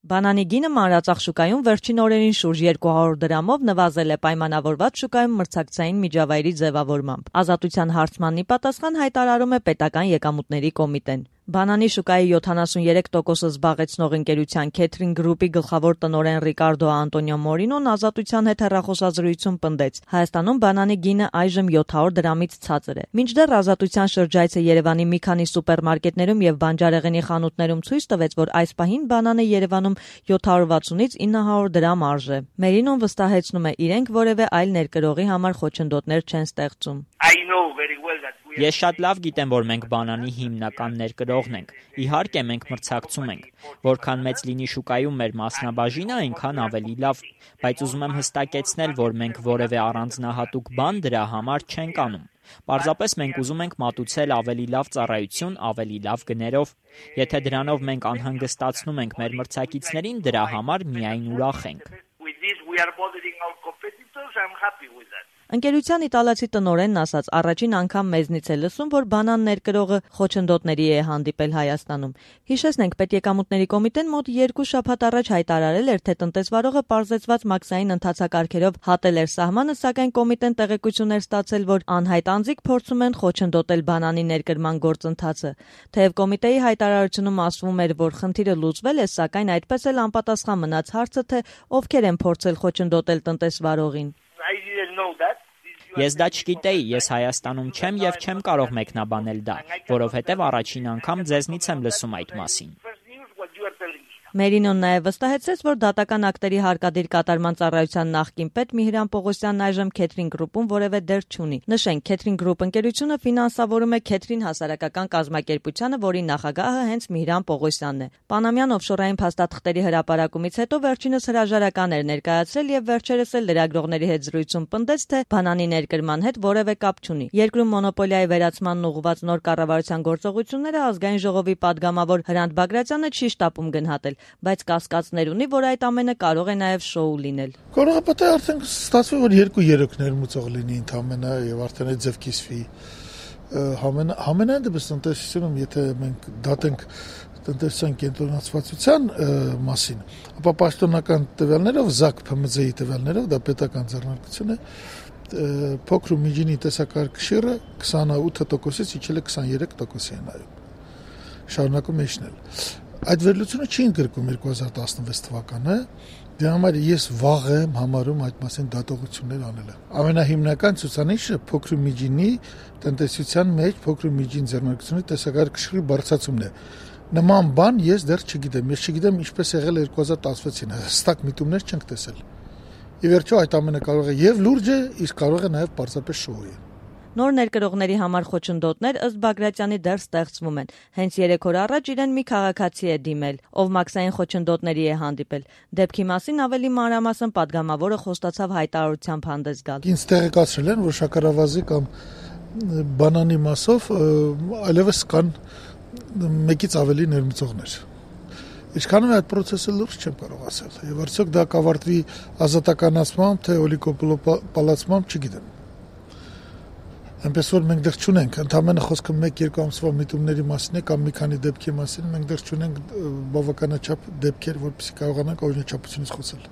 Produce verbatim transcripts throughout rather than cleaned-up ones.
Բանանի գինը մանրածախ շուկայում վերջին օրերին շուրջ երկու հարյուր դրամով նվազել է պայմանավորված շուկայում մրցակցային միջավայրի ձևավորմամբ։ Ազատության հարցմանն ի պատասխան հայտարարում է պետական եկամուտների կոմիտեն։ Բանանի շուկայի յոթանասուներեք տոկոսը զբաղեցնող ընկերության Քեթրին գրուպի գլխավոր տնօրեն Ռիկարդո Անտոնիո Մորինոն Ազատության հետ հեռախոսազրույցում պնդեց. Հայաստանում բանանի գինը այժմ յոթ հարյուր դրամից ցածր է։ Մինչդեռ Ազատության շրջայցը Երևանի մի քանի սուպերմարկետներում եւ բանջարեղենի խանութներում ցույց տվեց, որ այս պահին բանանը Երևանում յոթ հարյուր վաթսունից ինը հարյուր դրամ արժե։ Մերինոն վստահեցնում է, իրենք որևէ այլ ներկրողի համար խոչընդոտներ չեն ստեղծում։ Ես շատ լավ գիտեմ, որ մենք բանանի հիմնական ներկրողն ենք։ Իհարկե, մենք մրցակցում ենք։ Որքան մեծ լինի շուկայում մեր մասնաբաժինը, այնքան ավելի լավ։ Բայց ուզում եմ հստակեցնել, որ մենք որևէ առանձնահատուկ բան դրա համար չենք անում։ Պարզապես մենք ուզում ենք մատուցել ավելի լավ ծառայություն, ավելի լավ գներով։ Եթե դրանով մենք անհանգստացնում ենք մեր մրցակիցներին, դրա համար միայն ուրախ ենք։ Ընկերության իտալացի տնօրենն ասաց, առաջին անգամ մեզնից է լսում, որ բանան ներկրողը խոչընդոտների է հանդիպել Հայաստանում։ Հիշեցնենք, Պետեկամուտների կոմիտեն մոտ երկու շաբաթ առաջ հայտարարել էր, թե տնտեսվարողը պարզեցված մաքսային ընթացակարգերով հատել էր սահմանը, սակայն կոմիտեն տեղեկություն էր ստացել, որ անհայտ անձիկ փորձում են խոչընդոտել բանանի ներկրման գործընթացը։ Թեև կոմիտեի հայտարարությունում ասվում էր, որ խնդիրը լուծվել է, սակայն այդպես էլ անպատասխան մնաց հարցը, թե ովքեր են փորձել խոչընդոտել տնտեսվարողին։ Ես դա չգիտեի, ես Հայաստանում չեմ եւ չեմ կարող մեկնաբանել դա, որովհետեւ առաջին անգամ ձեզնից եմ լսում այդ մասին։ Մերինոն նաև վստահեցրեց, որ դատական ակտերի հարկադիր կատարման ծառայության նախկին պետ Միհրան Պողոսյանն այժմ Քեթրին գրուպում որևէ դեր չունի։ Նշենք, Քեթրին գրուպ ընկերությունը ֆինանսավորում է Քեթրին հասարակական կազմակերպությանը, որի նախագահը հենց Միհրան Պողոսյանն է։ Պանամյան օֆշորային փաստաթղթերի հրապարակումից հետո վերջինս հրաժարական էր ներկայացրել եւ վերջերս էլ լրագրողների հետ զրույցում պնդեց, թե բանանի ներկրման հետ որևէ կապ չունի։ Երկրում մոնոպոլիայի վերացմանն ուղղված նոր կառավարության գործողությունները ազգային ժողովի падգամավոր Հրանտ Բագրատյանը չի շտապում գնահատել, բայց կասկածներ ունի, որ այդ ամենը կարող է նաև շոու լինել։ Կարող է պետք է արդեն ստացվի, որ երկու երեք ներմուծող լինի ընդամենը եւ արդեն այդ ձև կիսվի։ Համենայն դեպս տնտեսությունում, եթե մենք դատենք տնտեսության կենտրոնացվածության մասին, ապա պաշտոնական տվյալներով, ԶԱԿ ՓՄԶ-ի տվյալներով, դա պետական ձեռնարկություն է, փոքր ու միջինի տեսակարգ շիռը քսանութ տոկոսից իջել է քսաներեք տոկոսի է նայում։ Շարունակում է իջնել։ Այդ վերլուծությունը չի ընդգրկում երկու հազար տասնվեց թվականը, դրա համար ես վաղ եմ համարում այդ մասին դատողություններ անելը։ Ամենահիմնական ցուցանիշը փոքր ու միջինի տնտեսության մեջ փոքր ու միջին ձեռնարկությունների տեսակարգ շիռի բարձրացումն է։ Նման բան ես դեռ չգիտեմ, ես չգիտեմ ինչպես եղել երկու հազար տասնվեցին, հստակ միտումներ չենք տեսել։ Ի վերջո այդ ամենը կարող է եւ լուրջ է, իսկ կարող է նաեւ պարզապես շոու է։ Նոր ներկրողների համար խոչընդոտներ ըստ Բագրատյանի դեռ ստեղծվում են։ Հենց երեք օր առաջ իրեն մի քաղաքացի է դիմել, ով մաքսային խոչընդոտների է հանդիպել։ Դեպքի մասին ավելի մանրամասն падգամավորը խոստացավ հայտարարությամբ հանդես գալ։ Ինձ տեղեկացրել են, որ շաքարավազի կամ բանանի մասով այլևս կան մեկից ավելի ներմուծողներ։ Ինչքանով է այդ process-ը լուրջ չեմ կարող ասել։ Եվ արդյոք դա կավարտվի ազատականացմամբ, թե օլիգոպոլիացմամբ, չգիտեմ։ Այնպես որ մենք դեռ չունենք, ընդամենը խոսքը մեկ-երկու ամսվա միտումների մասին է կամ մի քանի դեպքի մասին, մենք դեռ չունենք բավականաչափ դեպքեր, որպեսզի կարողանանք օրինաչափությունից խոսել։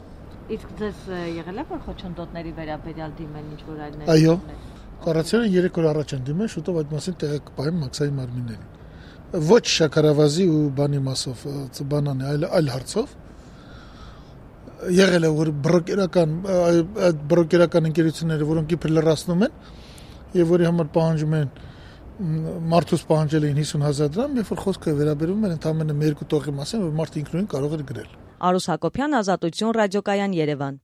Իսկ ձեզ եղել է որ խոչընդոտների վերաբերյալ դիմեն ինչ-որ այլ ներկայացնել։ Այո, կառավարությունը երեք օր առաջ են դիմել, շուտով այդ մասին տեղը կպահեն մաքսային մարմիններին։ Ոչ շաքարավազի ու բանի մասով, բանանի, այլ այլ հարցով։ Եղել է որ բրոկերական այդ բրոկերական ընկերությունները, որոնք իբր լրացնում են եւ որի համար պահանջում են մարդուց պահանջել էին հիսուն հազար դրամ, երբ որ խոսքը վերաբերում էր ընդամենը մի երկու տողի մասին, որ մարդը ինքնուրույն կարող էր գրել։ Արուս Հակոբյան, Ազատություն, Ռադիոկայան, Երևան։